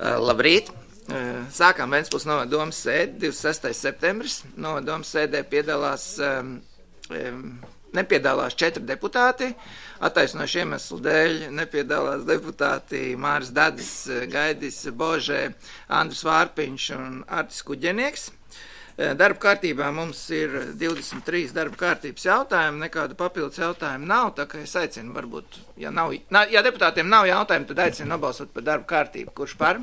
Labrīt! Sākām Ventspils novada domas sēdi, 26. septembris. Novada domas sēdē nepiedalās 4 deputāti. Attaisnošu iemeslu dēļ nepiedalās deputāti Māris Dadis, Gaidis Božē, Andris Vārpiņš un Artis Kuģenieks. Darba kārtībā mums ir 23 darba kārtības jautājumi, nekādu papildus jautājumu nav, tā kā es aicinu varbūt, ja deputātiem nav jautājumu, tad aicinu nobalsot par darba kārtību. Kurš par?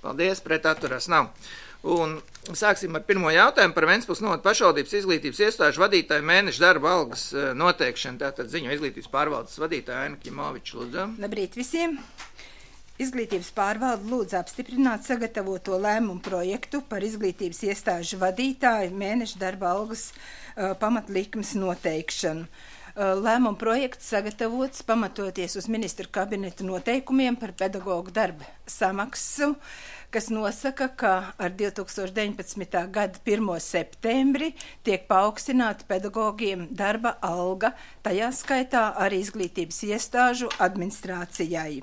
Paldies, pret atturās nav. Un sāksim ar pirmo jautājumu par Ventspils novada pašvaldības izglītības iestāžu vadītāju mēneša darba algas noteikšanu. Tātad ziņo izglītības pārvaldes vadītāja Aina Kļimoviča, lūdzu. Labrīt visiem! Izglītības pārvalde lūdz apstiprināt sagatavoto lēmumu projektu par izglītības iestāžu vadītāju mēneša darba algas pamatlikmes noteikšanu. Lēmuma projekts sagatavots pamatoties uz ministra kabineta noteikumiem par pedagoģu darba samaksu, kas nosaka, ka ar 2019. gada 1. septembri tiek paaugstināta pedagogiem darba alga, tajā skaitā arī izglītības iestāžu administrācijai.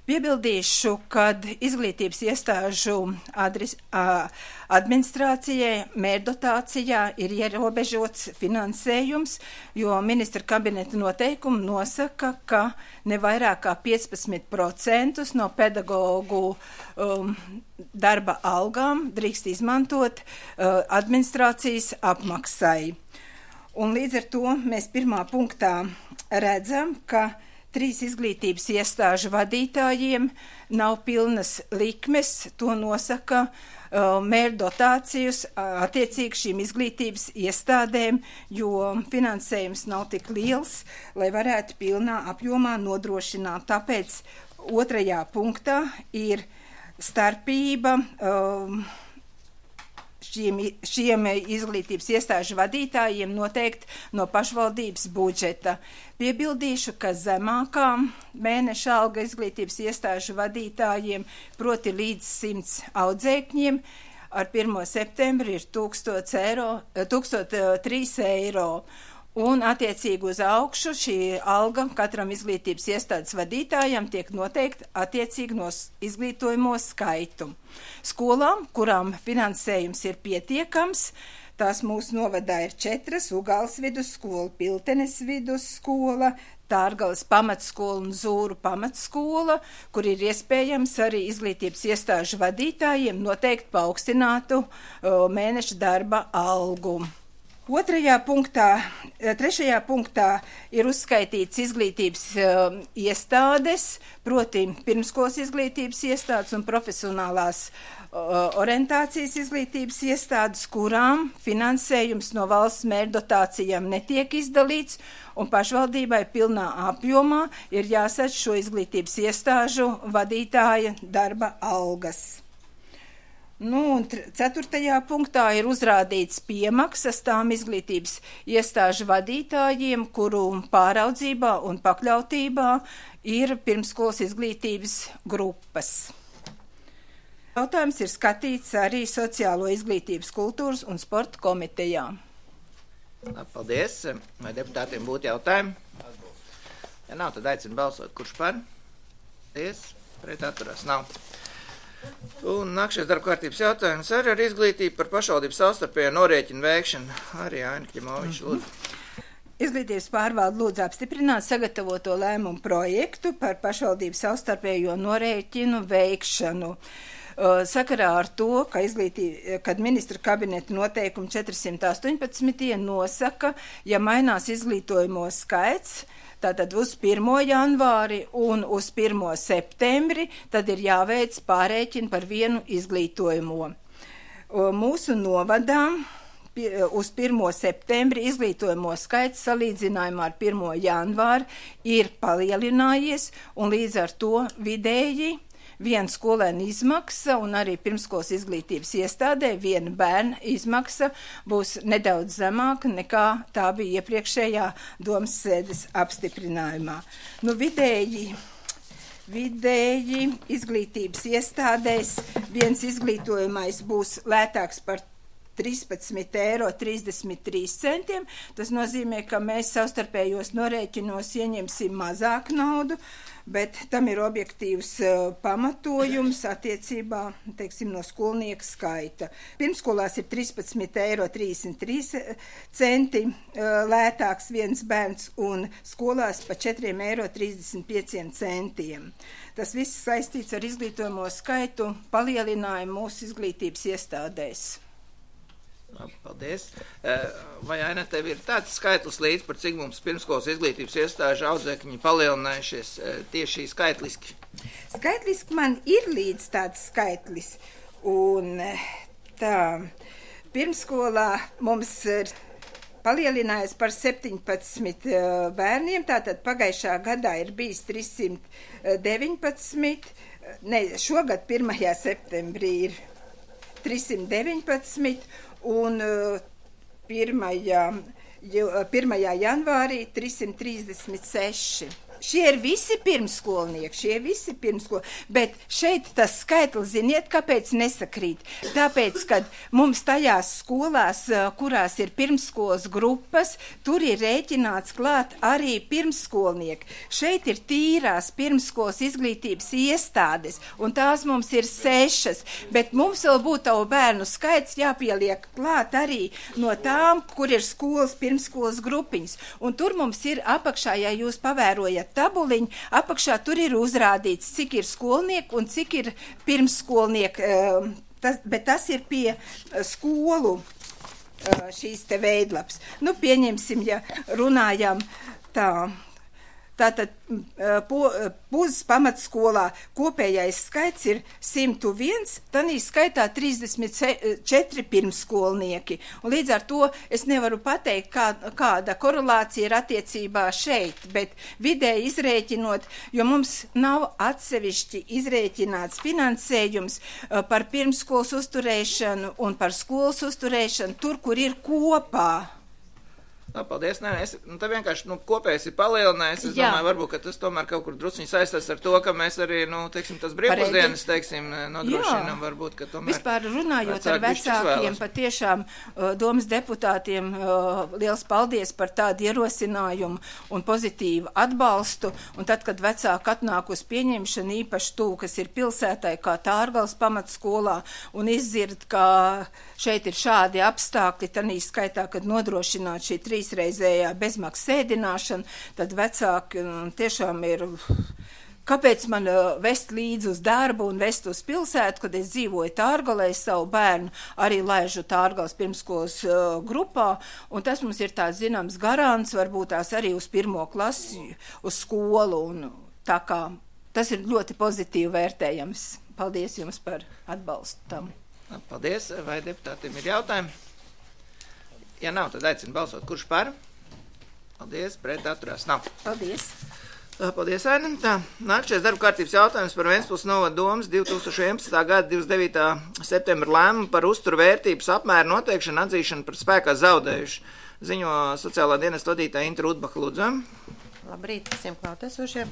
Piebildīšu, kad izglītības iestāžu administrācijai mērdotācijā ir ierobežots finansējums, jo ministra kabineta noteikumi nosaka, ka ne vairāk kā 15% no pedagoģu darba algām drīkst izmantot administrācijas apmaksai. Un līdz ar to mēs pirmā punktā redzam, ka 3 izglītības iestāžu vadītājiem nav pilnas likmes, to nosaka mērdotācijas attiecīgi šīm izglītības iestādēm, jo finansējums nav tik liels, lai varētu pilnā apjomā nodrošināt. Tāpēc 2. punktā ir starpība šiem izglītības iestāžu vadītājiem noteikti no pašvaldības budžeta. Piebildīšu, ka zemākā mēneša alga izglītības iestāžu vadītājiem, proti līdz 100 audzēkņiem, ar 1. septembri ir 1003 eiro. Un attiecīgi uz augšu šī alga katram izglītības iestādes vadītājam tiek noteikta attiecīgi no izglītojamo skaitu. Skolām, kurām finansējums ir pietiekams, tās mūsu novadā ir 4: Ugāles vidusskola, Piltenes vidusskola, Tārgalas pamatskola un Zūru pamatskola, kur ir iespējams arī izglītības iestāžu vadītājiem noteikt paaugstinātu mēneša darba algu. 3. punktā ir uzskaitīts izglītības iestādes, proti pirmskolas izglītības iestādes un profesionālās orientācijas izglītības iestādes, kurām finansējums no valsts mērdotācijām netiek izdalīts, un pašvaldībai pilnā apjomā ir jāsadz šo izglītības iestāžu vadītāja darba algas. Un 4. punktā ir uzrādīts piemaksas tām izglītības iestāžu vadītājiem, kuru pāraudzībā un pakļautībā ir pirmskolas izglītības grupas. Jautājums ir skatīts arī Sociālo izglītības, kultūras un sporta komitejā. Paldies. Vai deputātiem būtu jautājumi? Ja nav, tad aicinu balsot. Kurš par? Paldies. Pret atturās nav. Un nākšais darba kārtības jautājums arī ar izglītību par pašvaldības savstarpējo norēķinu veikšanu. Arī Aina Kļimoviča, lūdzu. Izglītības pārvalde lūdz apstiprināt sagatavoto lēmumu projektu par pašvaldības savstarpējo norēķinu veikšanu. Sakarā ar to, kad ministra kabineta noteikumi 418 nosaka, ja mainās izglītojamo skaits, tātad uz 1. janvāri un uz 1. septembri, tad ir jāveic pārēķini par vienu izglītojamo. Mūsu novadā uz 1. septembri izglītojamo skaits salīdzinājumā ar 1. janvāri ir palielinājies, un līdz ar to vidēji viena skolēna izmaksa un arī pirmskolas izglītības iestādē viena bērna izmaksa būs nedaudz zemāka nekā tā bija iepriekšējā domas sēdes apstiprinājumā. Vidēji izglītības iestādēs viens izglītojamais būs lētāks par 13,33 €. Tas nozīmē, ka mēs savstarpējos norēķinos ieņemsim mazāk naudu, bet tam ir objektīvs pamatojums attiecībā, teiksim, no skolnieku skaita. Pirmskolās ir 13,33 € lētāks viens bērns un skolās pa 4,35 €. Tas viss saistīts ar izglītojamo skaitu palielinājumu mūsu izglītības iestādēs. Paldies. Vai, Aina, tev ir tāds skaitlis līdz, par cik mums pirmskolas izglītības iestāžu audzēkņi palielinājušies tieši skaitliski? Skaitliski man ir līdz tāds skaitlis, un tā pirmskolā mums ir palielinājies par 17 bērniem, tātad pagājušā gadā ir bijis 319, šogad 1. septembrī ir 319, un 1. janvārī 336. Šie ir visi pirmskolnieki, bet šeit tas skaitlis, ziniet, kāpēc nesakrīt? Tāpēc, kad mums tajās skolās, kurās ir pirmskolas grupas, tur ir rēķināts klāt arī pirmskolnieki. Šeit ir tīrās pirmskolas izglītības iestādes, un tās mums ir 6, bet mums vēl būtu tavu bērnu skaits jāpieliek klāt arī no tām, kur ir skolas pirmskolas grupiņas. Un tur mums ir apakšā, ja jūs pavērojat tabuliņu, apakšā tur ir uzrādīts, cik ir skolnieki un cik ir pirmskolnieki, bet tas ir pie skolu šīs te veidlaps. Nu, pieņemsim, ja runājam tā. Tātad Puzas pamatskolā kopējais skaits ir 101, tanī skaitā 34 pirmskolnieki. Un līdz ar to es nevaru pateikt, kāda korelācija ir attiecībā šeit, bet vidēji izrēķinot, jo mums nav atsevišķi izrēķināts finansējums par pirmskolas uzturēšanu un par skolas uzturēšanu tur, kur ir kopā. Paldies. Te vienkārši kopējais ir palielinājies. Es domāju, varbūt, ka tas tomēr kaut kur drusciņi saistās ar to, ka mēs arī, tas brīvpusdienas, nodrošinām, varbūt, ka tomēr. Vispār runājot ar vecākiem, patiešām domas deputātiem liels paldies par tādu ierosinājumu un pozitīvu atbalstu. Un tad, kad vecāki atnāk uz pieņemšanu, īpaši tū, kas ir pilsētai, kā Tārgals pamatskolā, un izzird, ka šeit ir šādi apstākļi, tanī skaitā, kad nodrošināt šī 3-reizējā bezmaksas ēdināšana, tad vecāki tiešām ir, kāpēc man vest līdzi uz darbu un vest uz pilsētu, kad es dzīvoju Tārgalē, savu bērnu arī laižu Tārgals pirmskolas grupā, un tas mums ir tāds zināms garants, varbūt tās arī uz 1. klasi, uz skolu, un tā kā tas ir ļoti pozitīvi vērtējams. Paldies jums par atbalstu tam. Paldies. Vai deputātiem ir jautājumi? Ja nav, tad aicinu balsot. Kurš par? Paldies. Pret atturās. Nav. Paldies. Paldies, Aina. Nākamais darba kārtības jautājums par Ventspils novada domas 2011. gada 29. septembra lēmumu par uzturvērtības apmēru noteikšanu atzīšanu par spēkā zaudējuši. Ziņo sociālā dienesta vadītāja Inta Rudbaha, lūdzu. Labrīt visiem klātesošiem.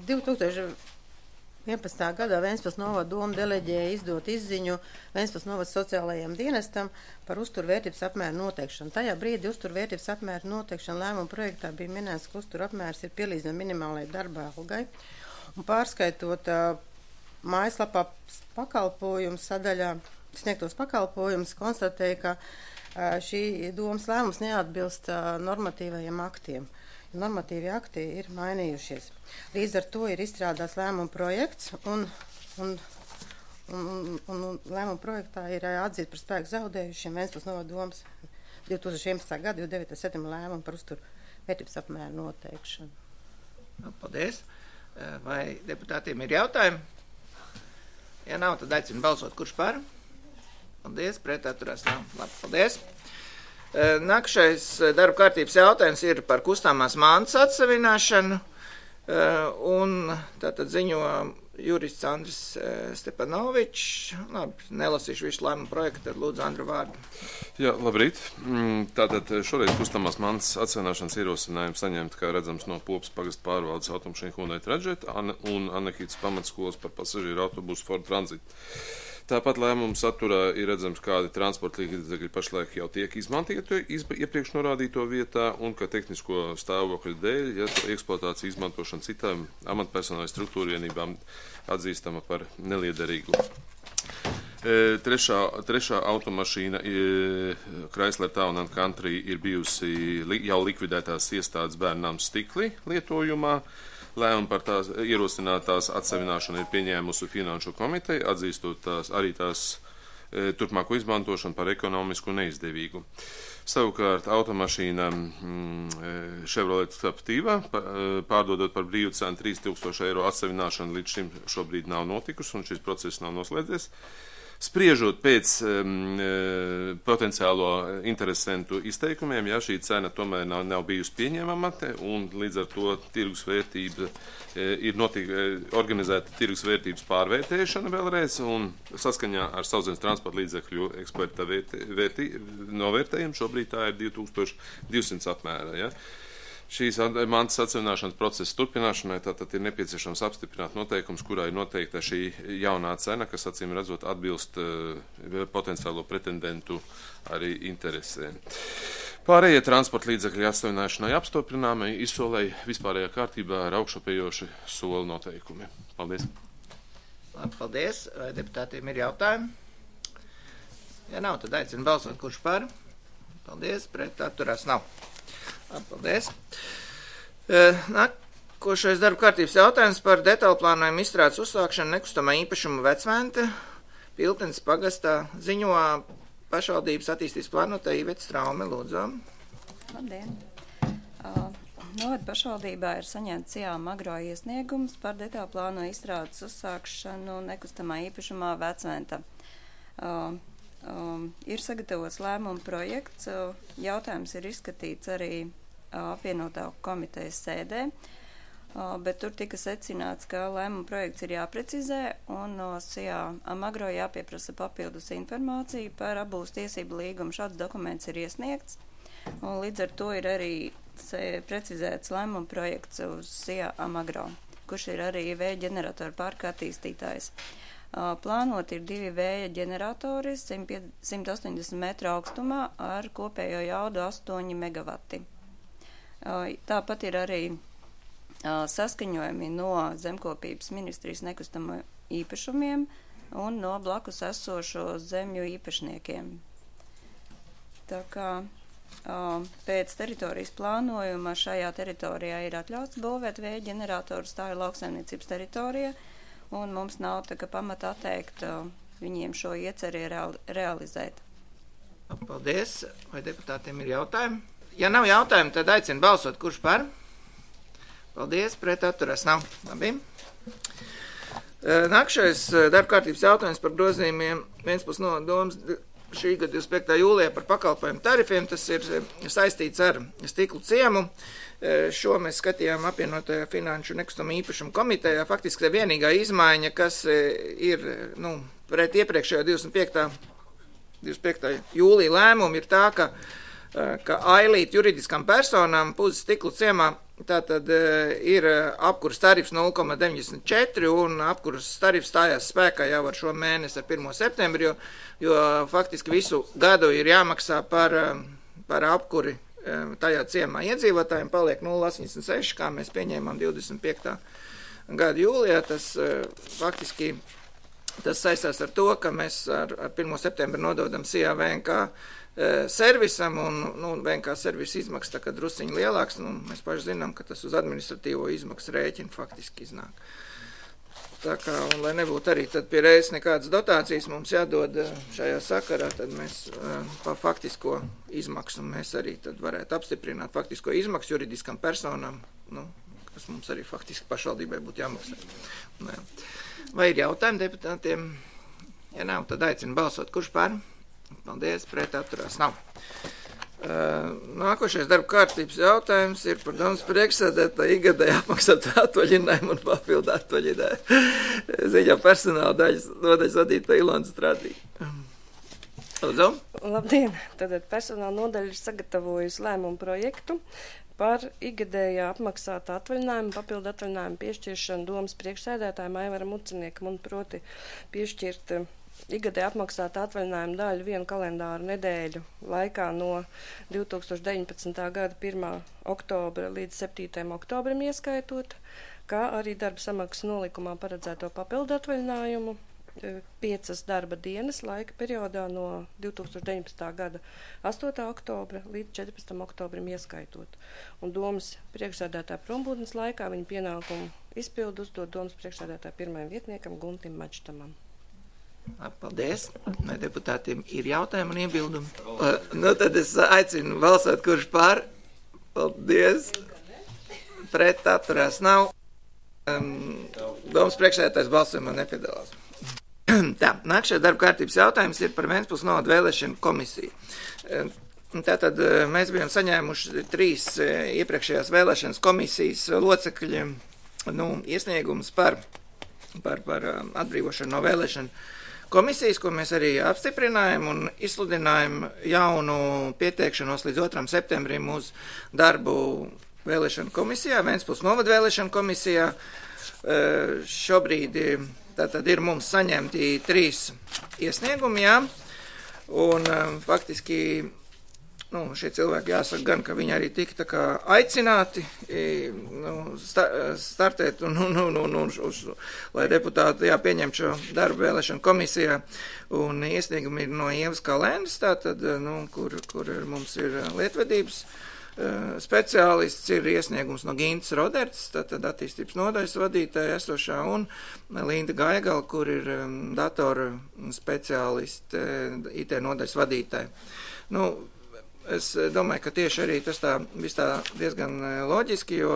2011. gadā Ventspils novada doma deleģēja izdot izziņu Ventspils novada sociālajiem dienestam par uzturvērtības apmēru noteikšanu. Tajā brīdī uzturvērtības apmēru noteikšana lēmuma projektā bija minēts, ka uzturapmērs ir pielīdzināms minimālajai darba algai. Un pārskaitot mājaslapā pakalpojumu sadaļā sniegtos pakalpojumus, konstatēja, ka šī domas lēmums neatbilst normatīvajiem aktiem. Normatīvi akti ir mainījušies. Līdz ar to ir izstrādāts lēmuma projekts, un lēmuma projektā ir atzīts par spēku zaudējušiem Ventspils novada domas 2011. gada 29. septembra lēmumu par uzturvērtības apmēru noteikšanu. Paldies. Vai deputātiem ir jautājumi? Ja nav, tad aicinu balsot. Kurš par? Paldies. Pret atturās nav. Labi, paldies. Nākamais darba kārtības jautājums ir par kustāmās mantas atsavināšanu, un tātad ziņo jurists Andris Stepanovičs. Labi, nelasīšu visu lēmumu projektu, tad lūdzu Andru vārdu. Jā, labrīt. Tātad šoreiz kustāmās mantas atsavināšanas ierosinājumu saņemt, kā redzams, no Popas pagasta pārvaldes automašīnu Hyundai Trajet un Annekītas pamatskolas par pasažieru autobusu Ford Transit. Tāpat lēmumu saturā ir redzams, kādi transporta līdzekļi pašlaik jau tiek izmantīti iepriekš norādīto vietā un ka tehnisko stāvokļu dēļ, ja eksploatācija izmantošana citām amatpersonālai struktūrvienībām atzīstama par neliederīgu. Trešā automašīna Chrysler Town & Country ir bijusi jau likvidētās iestādes Bērnām Stikli lietojumā. Lēmumu par tās ierosinātās atsevināšanu ir pieņēmusi Finanšu komiteja, atzīstot tās turpmāko izmantošanu par ekonomisku neizdevīgu. Savukārt automašīna Chevrolet Captiva, pārdodot par brīvu cenu 3000 eiro atsevināšanu, līdz šim šobrīd nav notikusi un šis process nav noslēdzies. Spriežot pēc potenciālo interesentu izteikumiem, ja šī cena tomēr nav bijusi pieņemama un līdz ar to tirgus vērtība ir organizēta tirgus vērtības pārvērtēšana vēlreiz un saskaņā ar sauszemes transporta līdzekļu eksperta novērtējumu šobrīd tā ir 2200 apmērā. Ja? Šīs mantas atsevināšanas procesa turpināšanai tātad ir nepieciešams apstiprināt noteikums, kurā ir noteikta šī jaunā cena, kas acīm redzot atbilst potenciālo pretendentu arī interesēm. Pārējie transporta līdzekļi atsevināšanai apstiprināmai izsolēja vispārējā kārtībā ar augšupējoši soli noteikumi. Paldies. Labi, paldies. Vai deputātiem ir jautājumi? Ja nav, tad aicinu balsot, kurš par. Paldies, pret atturās nav. Paldies. Nākošais darba kārtības jautājums par detālu plānojumu izstrādes uzsākšanu nekustamā īpašuma Vecvente Piltenes pagastā ziņo pašvaldības attīstības plānotāja Iveta Straume, lūdzu. Labdien! Novada pašvaldībā ir saņemts Amagro iesniegums par detālu plānojumu izstrādes uzsākšanu nekustamā īpašumā Vecventa. Ir sagatavots lēmuma projekts, jautājums ir izskatīts arī apvienotā komitejas sēdē, bet tur tika secināts, ka lēmuma projekts ir jāprecizē un no Amagro jāpieprasa papildus informāciju par abūs tiesību līgumu. Šāds dokuments ir iesniegts, un līdz ar to ir arī precizēts lēmuma projekts uz Amagro, kurš ir arī vēja ģeneratoru parka attīstītājs. Plānot ir 2 vēja ģeneratori 180 metru augstumā ar kopējo jaudu 8 megavati. Tāpat ir arī saskaņojumi no Zemkopības ministrijas nekustamo īpašumiem un no blakus esošo zemju īpašniekiem. Tā kā pēc teritorijas plānojuma šajā teritorijā ir atļauts būvēt vēja ģeneratoru, tā ir lauksaimniecības teritorija, un mums nav tā kā pamata atteikt viņiem šo ieceri realizēt. Paldies. Vai deputātiem ir jautājumi? Ja nav jautājumi, tad aicinu balsot, kurš par. Paldies, pret atturās nav. Labi. Nākšais darba kārtības jautājums par grozījumiem Ventspils nodoms šī gada 25. jūlijā par pakalpojumu tarifiem. Tas ir saistīts ar Stiklu ciemu. Šo mēs skatījām apvienotajā Finanšu nekustamo īpašumu komitejā. Faktiski tā vienīgā izmaiņa, kas ir pret iepriekšējo 25. jūlija lēmumu, ir tā, ka ailīt juridiskām personām Puzes Stiklu ciemā tātad ir apkuras tarifs 0,94 un apkuras tarifs stājās spēkā jau ar šo mēnesi ar 1. septembri, jo faktiski visu gadu ir jāmaksā par apkuri tajā ciemā iedzīvotājiem, paliek 0,86, kā mēs pieņēmām 25. gada jūlijā. Tas faktiski tas saistās ar to, ka mēs ar 1. septembri nododam VNK servisam, un VNK servisa izmaksas tā kā drusciņi lielāks, un mēs paši zinām, ka tas uz administratīvo izmaksu rēķinu faktiski iznāk. Tā kā, un lai nebūtu arī tad pie reizes nekādas dotācijas mums jādod šajā sakarā, tad mēs pa faktisko izmaksu mēs arī tad varētu apstiprināt faktisko izmaksu juridiskām personām, kas mums arī faktiski pašvaldībai būtu jāmaksā. Vai ir jautājumi deputātiem? Ja nav, tad aicinu balsot, kurš par? Paldies, pret atturās nav. Nākošais darba kārtības jautājums ir par domas priekšsēdētāju ikgadēju apmaksātu atvaļinājumu un papildu atvaļinājumu. Ziņā personāla nodaļas vadītāja Ilona Strādīga. Lūdzu. Labdien! Tātad personāla nodaļa ir sagatavojusi lēmumu projektu par ikgadējā apmaksātu atvaļinājumu, papildu atvaļinājumu piešķiršanu domas priekšsēdētājiem Aivaram Uciniekam un proti piešķirt ikgadēji apmaksāta atvaļinājuma daļa vienu kalendāru nedēļu laikā no 2019. gada 1. oktobra līdz 7. oktobrim ieskaitot, kā arī darba samaksas nolikumā paredzēto papildu atvaļinājumu 5 darba dienas laika periodā no 2019. gada 8. oktobra līdz 14. oktobrim ieskaitot. Un domas priekšsēdētāja prombūtnes laikā viņa pienākumu izpildu uzdod domas priekšsēdētāja pirmajam vietniekam Guntim Mačtamam. Paldies. Vai deputātiem ir jautājumi un iebildumi? Tad es aicinu balsot, kurš par. Paldies. Pret atturās nav. Domas priekšsēdētājs balsojumā nepiedalās. Tā, nākšajā darba kārtības jautājums ir par Ventspils novada vēlēšanu komisiju. Tātad mēs bijām saņēmuši 3 iepriekšējās vēlēšanas komisijas locekļi iesniegums par atbrīvošanu no vēlēšanu komisijas, ko mēs arī apstiprinājām un izsludinājām jaunu pieteikšanos līdz 2. septembrim uz darbu vēlēšanu komisijā, Ventspils novada vēlēšanu komisijā. Šobrīd tātad ir mums saņemti 3 iesniegumi, jā, un faktiski šie cilvēki jāsaka gan, ka viņi arī tika tā kā aicināti startēt lai deputāti pieņem šo darbu vēlēšanu komisijā, un iesniegumi ir no Ievas Kalēnas, tātad, kur mums ir lietvedības speciālists, ir iesniegums no Gintas Roderts, tātad attīstības nodaļas vadītāja esošā, un Linda Gaigala, kur ir datora speciālisti, IT nodaļas vadītāja. Es domāju, ka tieši arī tas viss tā diezgan loģiski, jo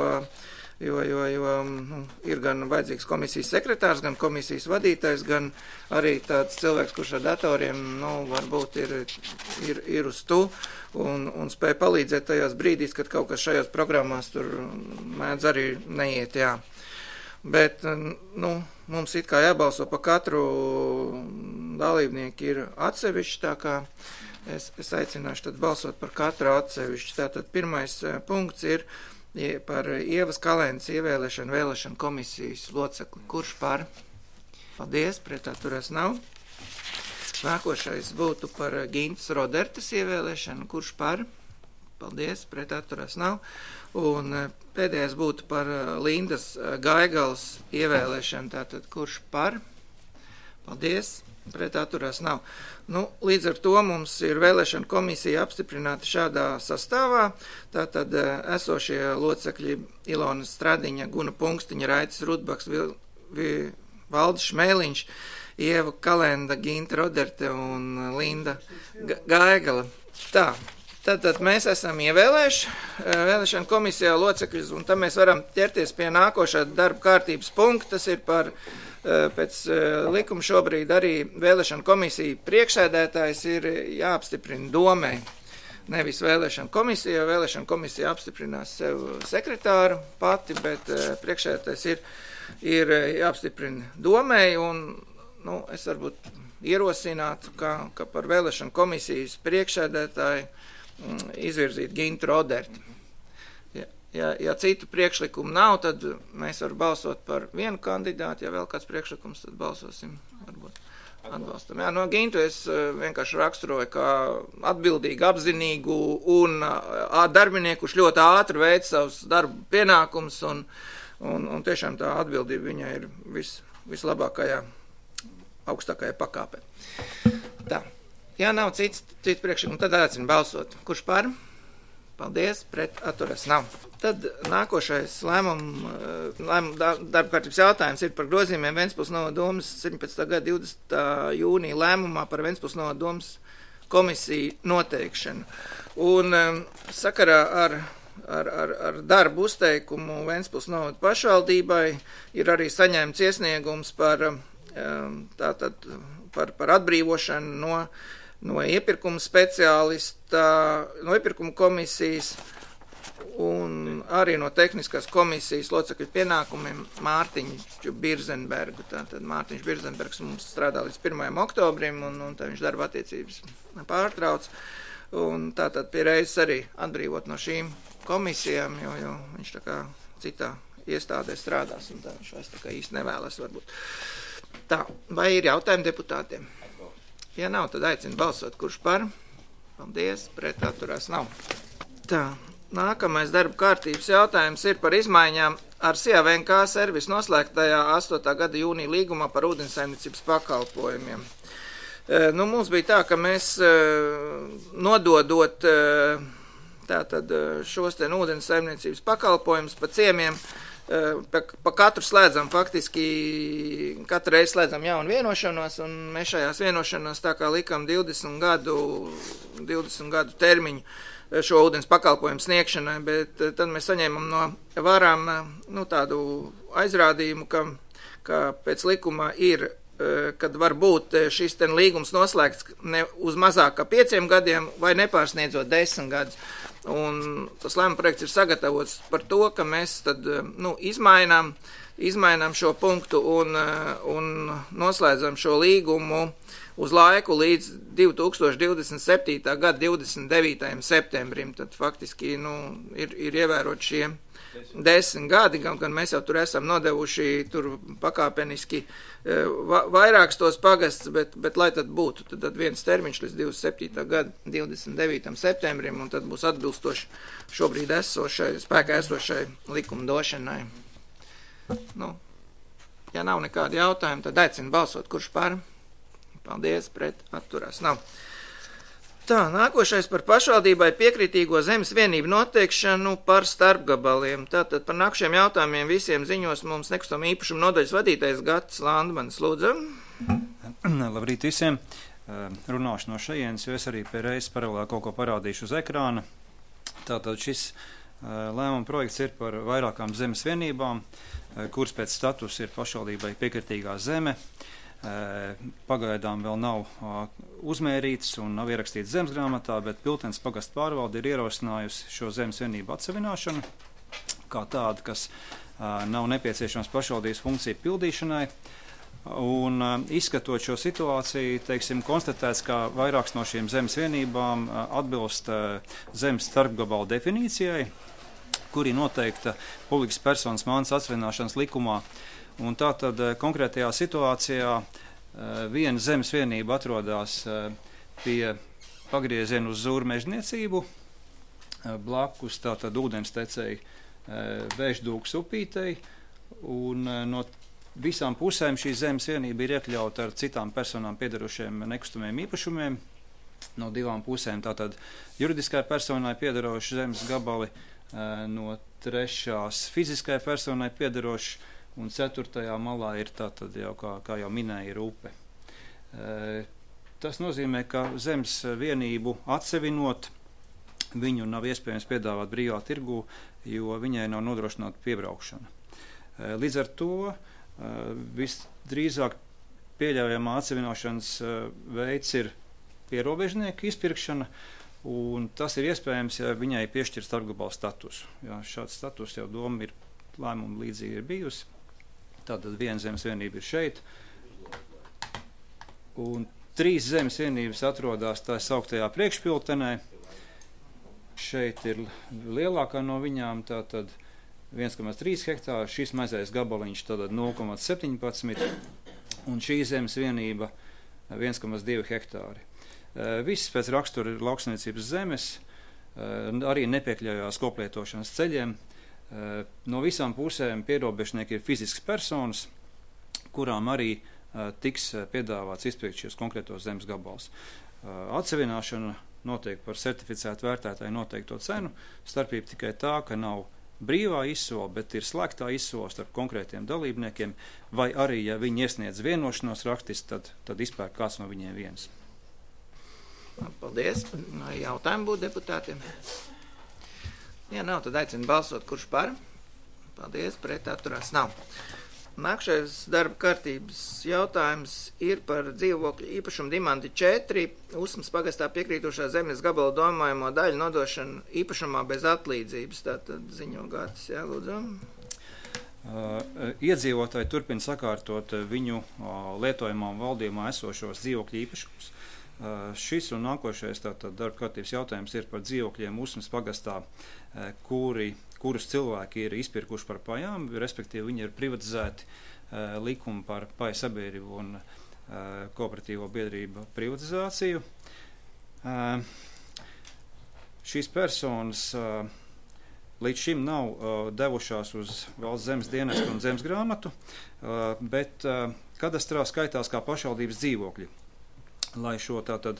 ir gan vajadzīgs komisijas sekretārs, gan komisijas vadītājs, gan arī tāds cilvēks, kurš ar datoriem, varbūt ir uz tu un spēj palīdzēt tajās brīdīs, kad kaut kas šajās programmās tur mēdz arī neiet, jā. Bet, mums it kā jābalso pa katru dalībnieku ir atsevišķi, tā kā es aicināšu tad balsot par katru atsevišķi. Tātad pirmais punkts ir par Ievas Kalēnas ievēlēšanu vēlēšanu komisijas locekli. Kurš par? Paldies, pret atturās nav. Nākošais būtu par Gintas Rodertas ievēlēšanu. Kurš par? Paldies, pret atturās nav. Un pēdējais būtu par Lindas Gaigalas ievēlēšanu. Tātad kurš par? Paldies, pret atturās nav. Līdz ar to mums ir vēlēšana komisija apstiprināta šādā sastāvā. Tātad esošie locekļi Ilona Stradiņa, Guna Punkstiņa, Raitis Rudbaks, Valdis Šmēliņš, Ieva Kalenda, Ginta Roderte un Linda Gaigala. Tātad mēs esam ievēlējuši vēlēšana komisijā locekļus, un tam mēs varam ķerties pie nākošā darba kārtības punkta. Tas ir par pēc likuma šobrīd arī vēlēšana komisija priekšsēdētājs ir jāapstiprina domē. Nevis vēlēšana komisija, jo vēlēšana komisija apstiprinās sev sekretāru pati, bet priekšsēdētājs ir jāapstiprina domē, un es varbūt ierosinātu, ka par vēlēšana komisijas priekšsēdētāju izvirzīt Gintu Roderti. Ja citu priekšlikumu nav, tad mēs varam balsot par vienu kandidātu. Ja vēl kāds priekšlikums, tad balsosim, varbūt atbalstam. Jā, no Gintu es vienkārši raksturoju kā atbildīgu, apzinīgu un darbinieku, kurš ļoti ātri veic savus darbu pienākumus, un tiešām tā atbildība viņai ir vislabākajā, augstākajā pakāpē. Tā. Ja nav cits priekšlikums, tad aicinu balsot. Kurš par? Paldies, pret atturas nav. Tad nākošais darba kārtības jautājums ir par grozījumiem Ventspils novada domas 17. gada 20. jūnija lēmumā par Ventspils novada domas komisiju noteikšanu. Un sakarā ar darbu uzteikumu Ventspils novada pašvaldībai ir arī saņemts iesniegums par atbrīvošanu no iepirkuma speciālista, no iepirkuma komisijas un arī no tehniskās komisijas locekļu pienākumiem Mārtiņu Birzenbergu. Tātad Mārtiņš Birzenbergs mums strādā līdz 1. oktobrim, un tā viņš darba attiecības pārtrauc. Un tātad pie reizes arī atbrīvot no šīm komisijām, jo viņš tā kā citā iestādē strādās, un tā viņš vairs tā kā īsti nevēlas varbūt. Tā, vai ir jautājumi deputātiem? Ja nav, tad aicinu balsot, kurš par. Paldies, pret atturās nav. Tā, nākamais darba kārtības jautājums ir par izmaiņām ar SIA VNK servisu noslēgtajā 8. gada jūnija līgumā par ūdensaimniecības pakalpojumiem. Mums bija tā, ka mēs nododot tātad šos te ūdensaimniecības pakalpojumus pa ciemiem, pa katru slēdzam faktiski, katru reizi slēdzam jaunu vienošanos, un mēs šajās vienošanos tā kā likam 20 gadu termiņu šo ūdens pakalpojumu sniegšanai, bet tad mēs saņēmam no varām tādu aizrādījumu, ka pēc likuma ir, kad var būt šis ten līgums noslēgts ne uz mazāk kā 5 gadiem vai nepārsniedzot 10 gadus. Un tas lēmuma projekts ir sagatavots par to, ka mēs tad izmainām šo punktu un noslēdzam šo līgumu uz laiku līdz 2027. gada 29. septembrim. Tad faktiski ir ievērot šie 10 gadi, gan mēs jau tur esam nodevuši tur pakāpeniski vairāks tos pagasts, bet lai tad būtu, tad viens termiņš līdz 27. gada 29. septembrim, un tad būs atbilstoši šobrīd spēkā esošai likumdošanai. Ja nav nekādi jautājumi, tad aicinu balsot, kurš par. Paldies, pret atturās nav. Tā, nākošais par pašvaldībai piekritīgo zemes vienību noteikšanu par starpgabaliem. Tātad par nākušiem jautājumiem visiem ziņos mums nekustamā īpašuma nodaļas vadītājs Gatis Landmanis. Lūdzu. Labrīt visiem. Runāšu no šajienes, jo es arī pēreiz paralēli kaut ko parādīšu uz ekrāna. Tātad šis lēmuma projekts ir par vairākām zemes vienībām, kuras pēc status ir pašvaldībai piekritīgā zeme. Pagaidām vēl nav uzmērīts un nav ierakstīts zemes grāmatā, bet Piltens pagasta pārvalde ir ierosinājusi šo zemes vienību atsevināšanu kā tādu, kas nav nepieciešams pašvaldības funkciju pildīšanai. Un izskatot šo situāciju, konstatēts, ka vairākas no šīm zemes vienībām atbilst zemes starpgabalu definīcijai, kuri noteikta publikas personas mantas atsevināšanas likumā. Un tātad konkrētajā situācijā viena zemes vienība atrodas pie pagrieziena uz Zūru mežniecību, blakus tātad ūdenstecēji Vēždūkas upītei, un no visām pusēm šī zemes vienība ir iekļauta ar citām personām piedarošiem nekustamiem īpašumiem. No 2 pusēm tātad juridiskai personai piedaroši zemes gabali, no 3. fiziskai personai piedaroši, un 4. malā ir tātad jau, kā jau minēja, ir upe. Tas nozīmē, ka zemes vienību atsevinot, viņu nav iespējams piedāvāt brīvā tirgū, jo viņai nav nodrošināta piebraukšana. Līdz ar to visdrīzāk pieļaujamā atsevināšanas veids ir pierobežnieku izpirkšana, un tas ir iespējams, ja viņai piešķir starpgabalu statusu. Ja, šāds status jau doma ir lēmuma līdzīgi ir bijusi. Tātad viena zemes vienība ir šeit, un 3 zemes vienības atrodas tā sauktajā priekšpiltenē. Šeit ir lielākā no viņām, tātad 1,3 hektāri, šis mazais gabaliņš tātad 0,17, un šī zemes vienība 1,2 hektāri. Viss pēc rakstura ir lauksaimniecības zemes, arī nepiekļaujās koplietošanas ceļiem. No visām pusēm pierobežnieki ir fiziskas personas, kurām arī tiks piedāvāts izpirkt šos konkrētos zemes gabals. Atsevināšana notiek par certificētu vērtētāju noteikto cenu, starpība tikai tā, ka nav brīvā izsola, bet ir slēgtā izsola starp konkrētiem dalībniekiem, vai arī, ja viņi iesniedz vienošanos rakstiski, tad izpērk kāds no viņiem viens. Paldies. Jautājumi būtu deputātiem? Ja nav, tad aicinu balsot, kurš par. Paldies, pret atturās nav. Nākšais darba kārtības jautājums ir par dzīvokļu īpašumu Dimanti 4, Usmas pagastā piekrītošā zemes gabala domājamo daļu nodošanu īpašumā bez atlīdzības. Tātad ziņo Gatis, jā, lūdzu. Iedzīvotāji turpina sakārtot viņu lietojumā un valdījumā esošos dzīvokļu īpašumus. Šis un nākošais tātad darba kārtības jautājums ir par dzīvokļiem Usmas pagastā, kurus cilvēki ir izpirkuši par pajām, respektīvi viņi ir privatizēti likumu par paju sabiedrību un kooperatīvo biedrību privatizāciju. Šīs personas līdz šim nav devušās uz valsts zemes dienestu un zemes grāmatu, bet kadastrā skaitās kā pašvaldības dzīvokļi. Lai šo tātad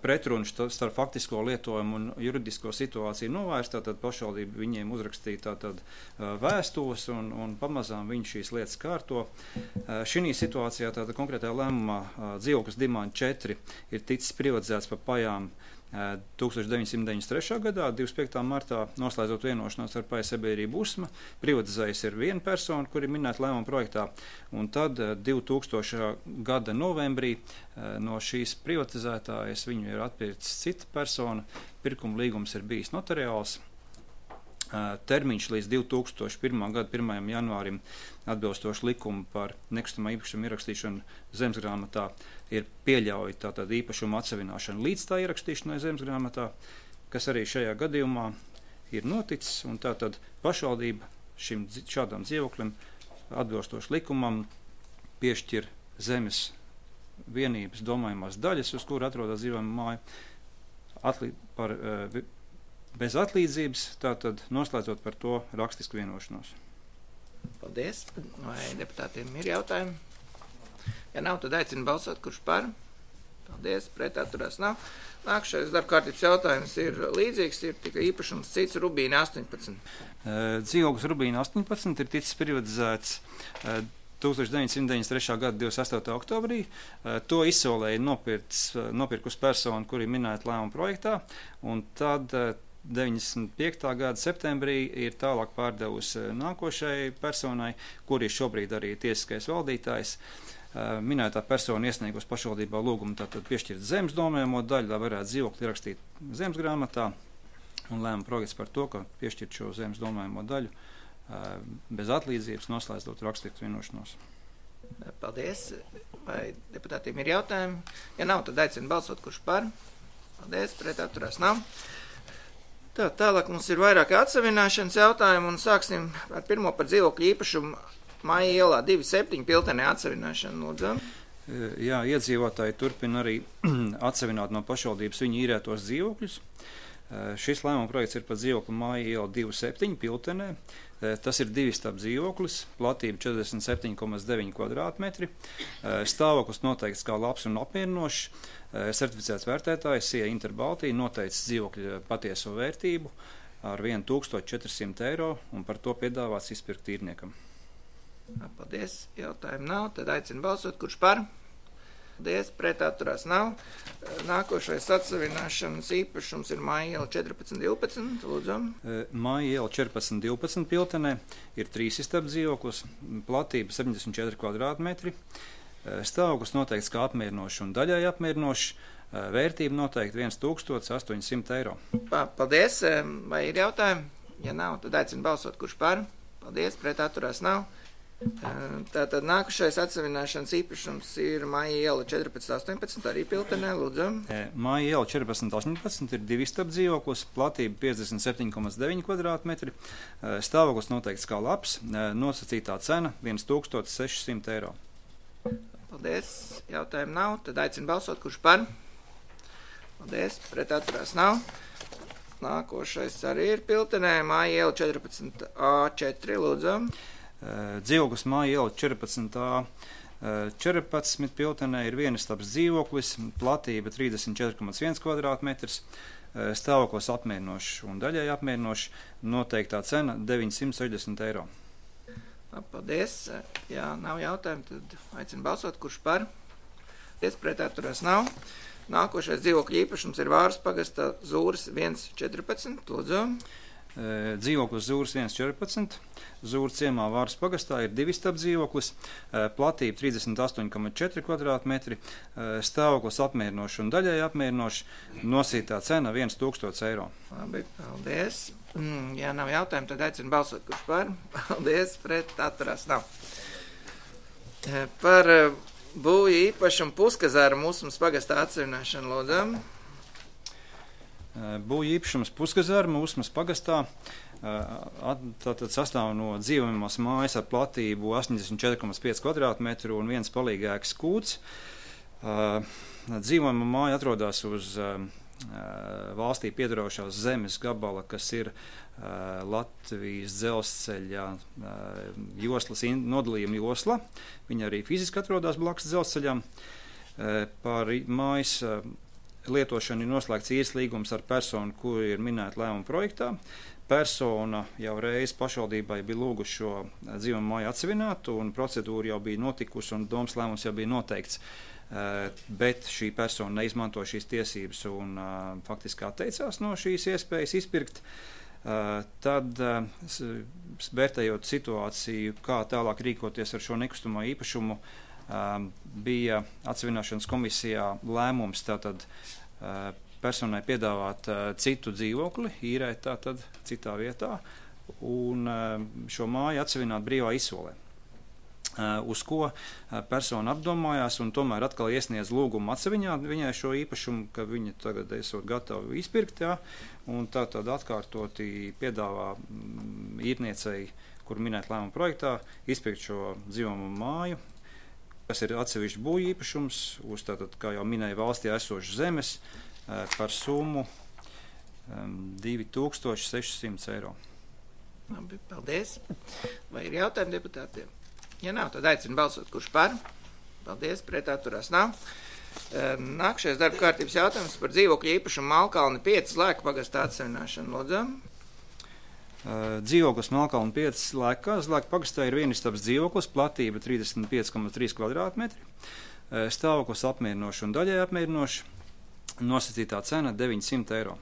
pretrunu starp faktisko lietojumu un juridisko situāciju novērst, tātad pašvaldība viņiem uzrakstīja tātad vēstules un pamazām viņi šīs lietas kārto. Šī situācijā tātad konkrētajā lēmumā dzīvoklis Dimanta 4 ir ticis privatizēts par pajām 1993. gadā, 25. martā, noslēdzot vienošanos ar paja sabiedrību Usma, privatizējas ir viena persona, kuri minēta lēmuma projektā, un tad 2000. gada novembrī no šīs privatizētājas viņu ir atpircis cita persona, pirkuma līgums ir bijis notariāls. Termiņš līdz 2001. gada 1. janvārim atbilstoši likumu par nekustamā īpašuma ierakstīšanu zemesgrāmatā ir pieļauj tātad īpašuma atsavināšanu līdz tā ierakstīšanai zemesgrāmatā, kas arī šajā gadījumā ir noticis, un tātad pašvaldība šādam dzīvoklim atbilstoši likumam piešķir zemes vienības domājumās daļas, uz kuru atrodas dzīvojama māja, bez atlīdzības, tātad noslēdzot par to rakstisku vienošanos. Paldies. Vai deputātiem ir jautājumi? Ja nav, tad aicinu balsot, kurš par. Paldies, pret atturās nav. Nākšais darbkārtības jautājums ir līdzīgs, ir tikai īpašums cits Rubīna 18. Dzīvoklis Rubīna 18 ir ticis privatizēts 1993. gada 28. oktobrī. To izsolēja nopirkus personu, kuri minēta lēmuma projektā, un tad 95. gada septembrī ir tālāk pārdevusi nākošai personai, kuri šobrīd arī tiesiskais valdītājs. Minētā persona iesniegus pašvaldībā lūgumu tātad piešķirt zemes domājamo daļu, lai varētu dzīvokli ierakstīt zemes grāmatā, un lēma projekts par to, ka piešķirt šo zemes domājamo daļu bez atlīdzības, noslēdzot rakstisku vienošanos. Paldies. Vai deputātiem ir jautājumi? Ja nav, tad aicinu balsot, kurš par. Paldies, pret atturās nav. Tālāk mums ir vairāki atsavināšanas jautājumi, un sāksim ar pirmo par dzīvokļu īpašumu Maija ielā 2.7 Piltenē atsavināšanu. Lūdzu. Jā, iedzīvotāji turpina arī atsavināt no pašvaldības viņu īrētos dzīvokļus. Šis lēmuma projekts ir par dzīvokli Maija iela 2.7 Piltenē. Tas ir divistab dzīvoklis, platība 47,9 kvadrātmetri. Stāvoklis noteikts kā labs un apmierinošs. Certificēts vērtētājs SIA Interbaltija noteicis dzīvokļa patieso vērtību ar 1400 eiro un par to piedāvāts izpirkt īrniekam. Paldies. Jautājumu nav. Tad aicinu balsot, kurš par. Paldies. Pret atturās nav. Nākošais atsavināšanas īpašums ir Maija iela 14.12. Lūdzu. Maija iela 14.12 Piltenē ir 3 istabu dzīvoklis, platība 74 kvadrātmetri. Stāvoklis noteikts kā apmierinošs un daļai apmierinošs. Vērtība noteikti 1800 eiro. Paldies. Vai ir jautājumi? Ja nav, tad aicinu balsot, kurš par. Paldies. Pret atturās nav. Tātad nākušais atsavināšanas īpašums ir Maija iela 14.18, arī Piltenē, lūdzu. Maija iela 14.18 ir 2 istabu dzīvoklis, platība 57,9 kvadrātmetri, stāvoklis noteikts kā labs, nosacītā cena 1600 eiro. Paldies. Jautājumu nav, tad aicinu balsot, kurš par. Paldies. Pret atturās nav. Nākošais arī ir Piltenē, Maija iela 14A4, lūdzu. Dzīvoklis Maija iela 14. 14 Piltenē ir vienistabs dzīvoklis, platība 34,1 kvadrātmetrs, stāvoklis apmierinošs un daļai apmierinošs, noteiktā cena 960 eiro. Paldies. Ja nav jautājumu, tad aicinu balsot, kurš par. Paldies, pret atturās nav. Nākošais dzīvokļu īpašums ir Vāras pagastā Zūras 1.14, lūdzu. Dzīvoklis Zūras 1.14. Zūras ciemā Vāras pagastā ir 2 istabu dzīvoklis, platība 38,4 kvadrātmetri, stāvoklis apmierinošs un daļai apmierinošs, nosītā cena 1000 eiro. Labi, paldies. Ja nav jautājumu, tad aicinu balsot, kurš par. Paldies, pret atturās nav. Par būvju īpašumu Puskazāra Usmas pagastā atsavināšanu, lūdzu. Būvju īpašums Puskazāra Usmas pagastā tātad sastāv no dzīvojamās mājas ar platību 84,5 kvadrātmetru un viens palīgēks kūts. Dzīvojamā māja atrodas uz valstī piedarošās zemes gabala, kas ir Latvijas dzelzceļa joslas nodalījuma josla. Viņa arī fiziski atrodas blakus dzelzceļam. Par mājas lietošanu ir noslēgts īres līgums ar personu, kur ir minēta lēmuma projektā. Persona jau reiz pašvaldībai bija lūguši šo dzīvojamo māju atsevināt, un procedūra jau bija notikusi, un domas lēmums jau bija noteikts. Bet šī persona neizmanto šīs tiesības un faktiski atteicās no šīs iespējas izpirkt. Tad, vērtējot situāciju, kā tālāk rīkoties ar šo nekustamo īpašumu, bija atsevināšanas komisijā lēmums tātad personai piedāvāt citu dzīvokli, īrēt tātad citā vietā, un šo māju atsevināt brīvā izsolē. Uz ko persona apdomājās un tomēr atkal iesniedz lūgumu atseviņāt viņai šo īpašumu, ka viņa tagad esot gatavi izpirkt, ja, un tātad atkārtoti piedāvā īrniecei, kur minēt lēmuma projektā, izpirkt šo dzīvojamo māju, kas ir atsevišķi būvju īpašums, uz tātad, kā jau minēja, valstī esošas zemes par summu 2600 eiro. Labi, paldies. Vai ir jautājumi deputātiem? Ja nav, tad aicinu balsot, kurš par. Paldies, pret atturās nav. Nākamais darba kārtības jautājums par dzīvokļu īpašumu Malkalni 5 Lēku pagastā atsevināšanu. Lūdzu. Dzīvoklis Malkalni 5 Lēku pagastā ir vienistabas dzīvoklis, platība 35,3 kvadrātmetri, stāvoklis apmierinoši un daļai apmierinoši, nosacītā cena 900 eiro.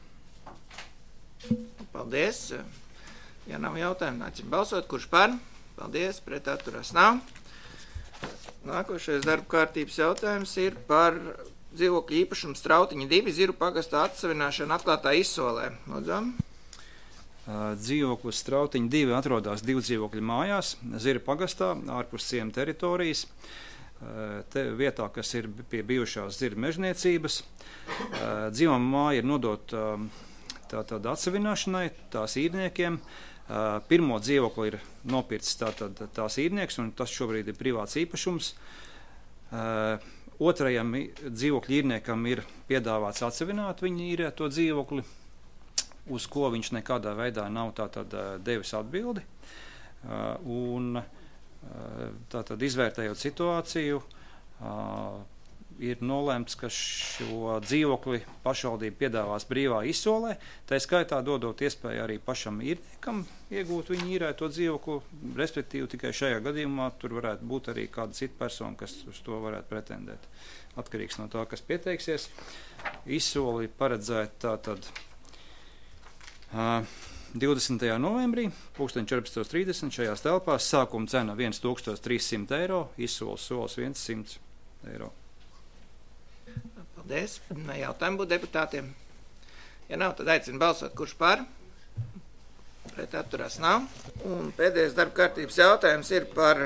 Paldies. Ja nav jautājumu, aicinu balsot, kurš par. Paldies, pret atturās nav. Nākošais darba kārtības jautājums ir par dzīvokļu īpašumu Strautiņa 2 Ziru pagastā atsevināšanu atklātā izsolē. Lūdzu. Dzīvoklis Strautiņa 2 atrodas 2 dzīvokļu mājās Ziru pagastā, ārpus ciema teritorijas, vietā, kas ir pie bijušās Ziru mežniecības. Dzīvojamā māja ir nodota tātad atsevināšanai, tās īrniekiem. Pirmo dzīvokli ir nopircis tās īrnieks, un tas šobrīd ir privāts īpašums. Otrajam dzīvokļu īrniekam ir piedāvāts atsevināt viņa īrēto dzīvokli, uz ko viņš nekādā veidā nav tātad devis atbildi. Un tātad izvērtējot situāciju, ir nolēmts, ka šo dzīvokli pašvaldība piedāvās brīvā izsolē, tā skaitā dodot iespēju arī pašam īrniekam iegūt viņu īrēto dzīvokli, respektīvi tikai šajā gadījumā tur varētu būt arī kāda cita persona, kas uz to varētu pretendēt. Atkarīgs no tā, kas pieteiksies. Izsoli paredzēt tātad 20. novembrī, 14.30 šajās telpās, sākuma cena 1300 eiro, izsoles solis 100 eiro. Paldies. Jautājumu būtu deputātiem. Ja nav, tad aicinu balsot, kurš par. Pret atturās nav. Un pēdējais darba kārtības jautājums ir par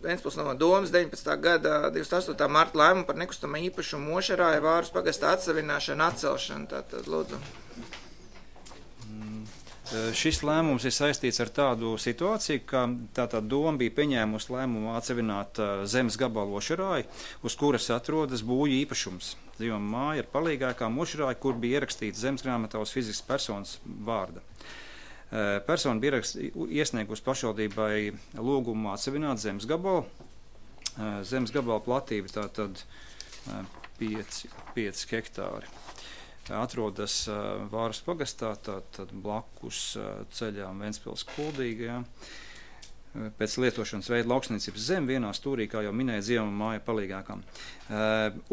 Ventspils novada domas 19. gada 28. marta lēmumu par nekustamā īpašumu Mošarāja Vāras pagastā atsevināšanu atcelšanu. Tātad, lūdzu. Šis lēmums ir saistīts ar tādu situāciju, ka tātad doma bija pieņēmusi lēmumu atsevināt zemes gabalu Mošarāju, uz kuras atrodas būvju īpašums. Dzīvojamā māja ir palīgākā Mošarāja, kur bija ierakstīts zemes grāmatā uz fiziskas personas vārda. Persona bija iesniegusi pašvaldībai lūgumu atsevināt zemes gabalu. Zemes gabala platība tātad 5 hektāri. Atrodas Vāras pagastā, tad blakus ceļām Ventspils Kuldīgajā. Pēc lietošanas veida lauksniecības zeme vienā stūrī, kā jau minēja, dzīvojamā māja palīgākām.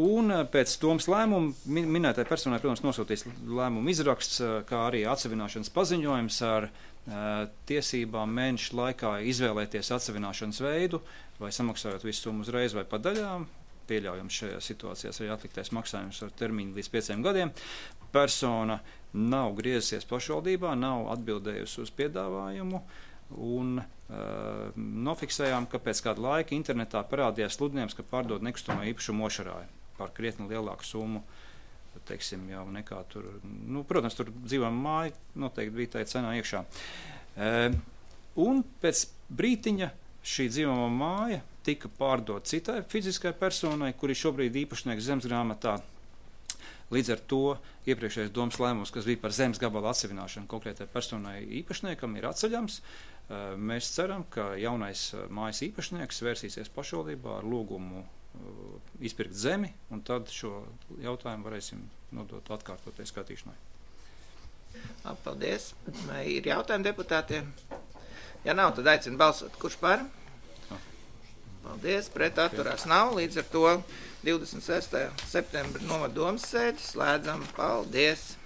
Un pēc domas lēmuma minētai personai, protams, nosūtīs lēmumu izraksts, kā arī atsevināšanas paziņojums ar tiesībām mēnešu laikā izvēlēties atsevināšanas veidu, vai samaksājot visu summu uzreiz vai pa daļām. Pieļaujams šajā situācijās arī atliktais maksājums ar termiņu līdz 5 gadiem. Persona nav griezusies pašvaldībā, nav atbildējusi uz piedāvājumu un nofiksējām, ka pēc kāda laika internetā parādījās sludinājums, ka pārdod nekustamo īpašumu Mošarāju par krietni lielāku summu teiksim, jau nekā tur, nu, protams, tur dzīvojama māja noteikti bija tā cenā iekšā. Un pēc brītiņa šī dzīvojama māja tika pārdot citai fiziskai personai, kuri šobrīd īpašnieks zemesgrāmatā. Līdz ar to iepriekšējais domas lēmums, kas bija par zemes gabala atsevināšanu konkrētai personai īpašniekam, ir atceļams. Mēs ceram, ka jaunais mājas īpašnieks vērsīsies pašvaldībā ar lūgumu izpirkt zemi, un tad šo jautājumu varēsim nodot atkārtoties skatīšanai. Paldies. Vai ir jautājumi deputātiem? Ja nav, tad aicinu balsot. Kurš par? Paldies. Pret atturās nav. Līdz ar to 26. septembra novada domas sēdi slēdzam. Paldies.